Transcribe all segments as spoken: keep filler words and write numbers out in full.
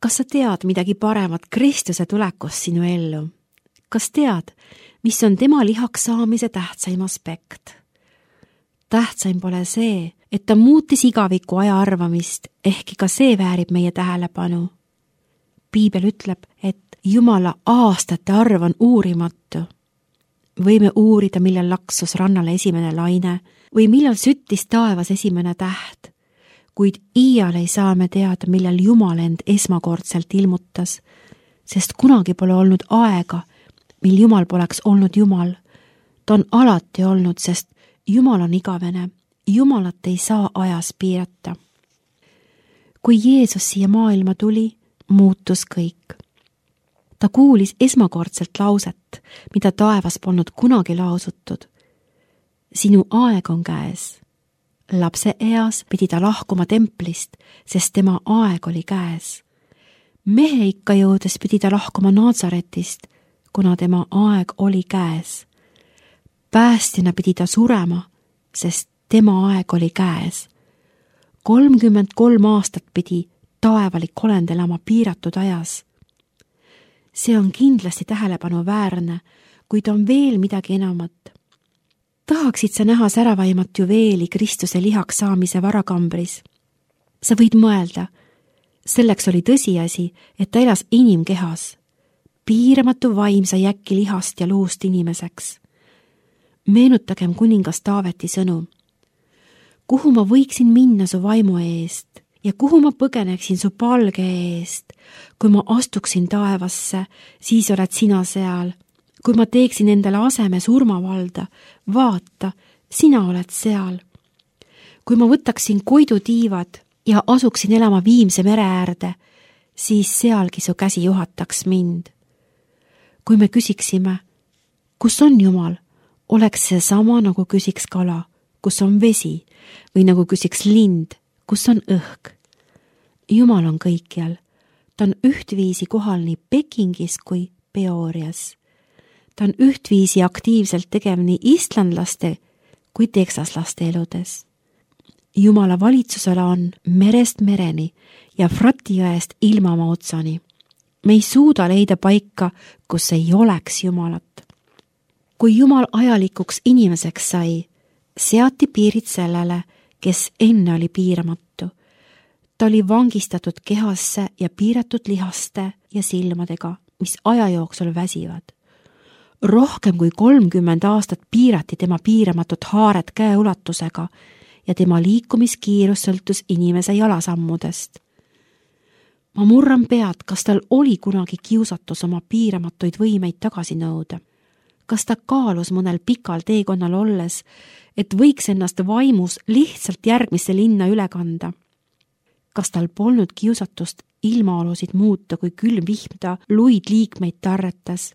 Kas sa tead midagi paremat Kristuse tulekust sinu ellu? Kas tead, mis on tema lihaks saamise tähtsaim aspekt? Tähtsaim pole see, et ta muutis igaviku aja arvamist, ehkki ka see väärib meie tähelepanu. Piibel ütleb, et Jumala aastate arv on uurimatu. Võime uurida, millal laksus rannale esimene laine või millal süttis taevas esimene täht, kuid iial ei saa me teada, millal Jumal end esmakordselt ilmutas, sest kunagi pole olnud aega, mil Jumal poleks olnud Jumal. Ta on alati olnud, sest Jumal on igavene. Jumalat ei saa ajas piirata. Kui Jeesus siia maailma tuli, muutus kõik. Ta kuulis esmakordselt lauset, mida taevas polnud kunagi lausutud. Sinu aeg on käes. Lapse eas pidi ta lahkuma templist, sest tema aeg oli käes. Mehe ikka jõudes pidi ta lahkuma Naazaretist, kuna tema aeg oli käes. Päästjana pidi ta surema, sest tema aeg oli käes. kolmkümmend kolm aastat pidi taevalik olend elama piiratud ajas. See on kindlasti tähelepanu väärne, kuid on veel midagi enamat. Tahaksid sa näha säravaimat juveeli Kristuse lihaks saamise varakambris? Sa võid mõelda, selleks oli tõsiasi, et ta elas inimkehas. Piiramatu vaim sai äkki lihast ja luust inimeseks. Meenutagem kuningas Taaveti sõnu. Kuhu ma võiksin minna su vaimu eest ja kuhu ma põgeneksin su palge eest? Kui ma astuksin taevasse, siis oled sina seal. Kui ma teeksin endale aseme surmavalda, vaata, sina oled seal. Kui ma võtaksin koidutiivad ja asuksin elama Viimse mere äärde, siis sealgi su käsi juhataks mind. Kui me küsiksime, kus on Jumal, oleks see sama, nagu küsiks kala, kus on vesi, või nagu küsiks lind, kus on õhk. Jumal on kõikjal. Ta on ühtviisi kohal nii Pekingis kui Peorias. Ta on ühtviisi aktiivselt tegev nii islandlaste kui teksaslaste eludes. Jumala valitsusala on merest mereni ja Frati jõest ilmamaa otsani. Me ei suuda leida paika, kus ei oleks Jumalat. Kui Jumal ajalikuks inimeseks sai, seati piirid sellele, kes enne oli piiramatu. Ta oli vangistatud kehasse ja piiratud lihaste ja silmadega, mis aja jooksul väsivad. Rohkem kui kolmkümmend aastat piirati tema piiramatut haaret käeulatusega ja tema liikumiskiirus sõltus inimese jalasammudest. Ma murran pead, kas tal oli kunagi kiusatus oma piiramatuid võimeid tagasi nõuda. Kas ta kaalus mõnel pikal teekonnal olles, et võiks ennast vaimus lihtsalt järgmisse linna üle kanda? Kas tal polnud kiusatust ilmaolusid muuta, kui külm vihm ta luid liikmeid tarretas?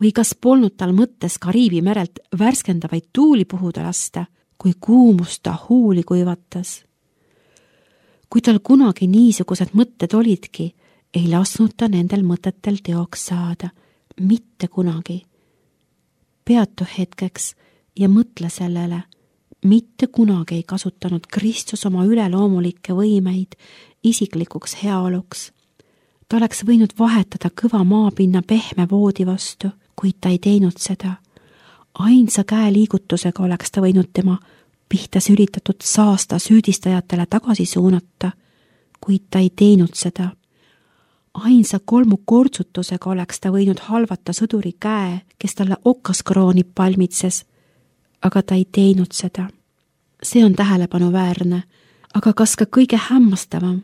Või kas polnud tal mõttes Kariibi merelt värskendavaid tuuli puhuda lasta, kui kuumust ta huuli kuivatas? Kui tal kunagi niisugused mõtted olidki, ei lasknud ta nendel mõtetel teoks saada. Mitte kunagi. Peatu hetkeks ja mõtle sellele. Mitte kunagi ei kasutanud Kristus oma üleloomulikke võimeid isiklikuks heaoluks. Ta oleks võinud vahetada kõva maapinna pehme voodi vastu, kuid ta ei teinud seda. Ainsa käe liigutusega oleks ta võinud tema pihta sülitatud saasta süüdistajatele tagasi suunata, kuid ta ei teinud seda. Ainsa kolmu kortsutusega oleks ta võinud halvata sõduri käe, kes talle okaskrooni palmitses, aga ta ei teinud seda. See on tähelepanuväärne, aga kas ka kõige hämmastavam?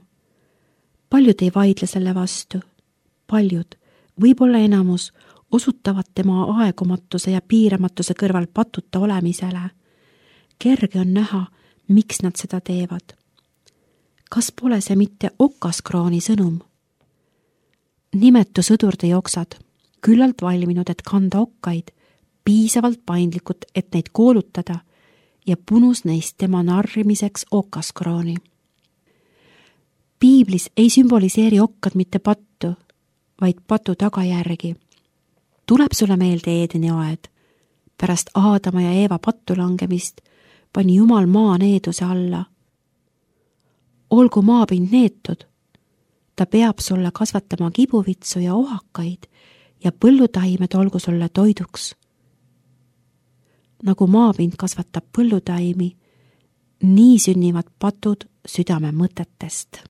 Paljud ei vaidle selle vastu. Paljud, võib-olla enamus, osutavad tema aegumatuse ja piiramatuse kõrval patuta olemisele. Kerge on näha, miks nad seda teevad. Kas pole see mitte okaskrooni sõnum? Nimetu sõdurde joksad, küllalt valminud, et kanda okkaid, piisavalt paindlikud, et neid koolutada ja punus neist tema narrimiseks okaskrooni. Piiblis ei sümboliseeri okkad mitte pattu, vaid patu tagajärgi. Tuleb sulle meelde Eedeni aed. Pärast Aadama ja Eeva pattu langemist pani Jumal maa needuse alla. Olgu maapind neetud. ta peab sulle kasvatama kibuvitsu ja ohakaid ja põllutaimed olgu sulle toiduks. Nagu maapind kasvatab põllutaimi, nii sünnivad patud südame mõtetest.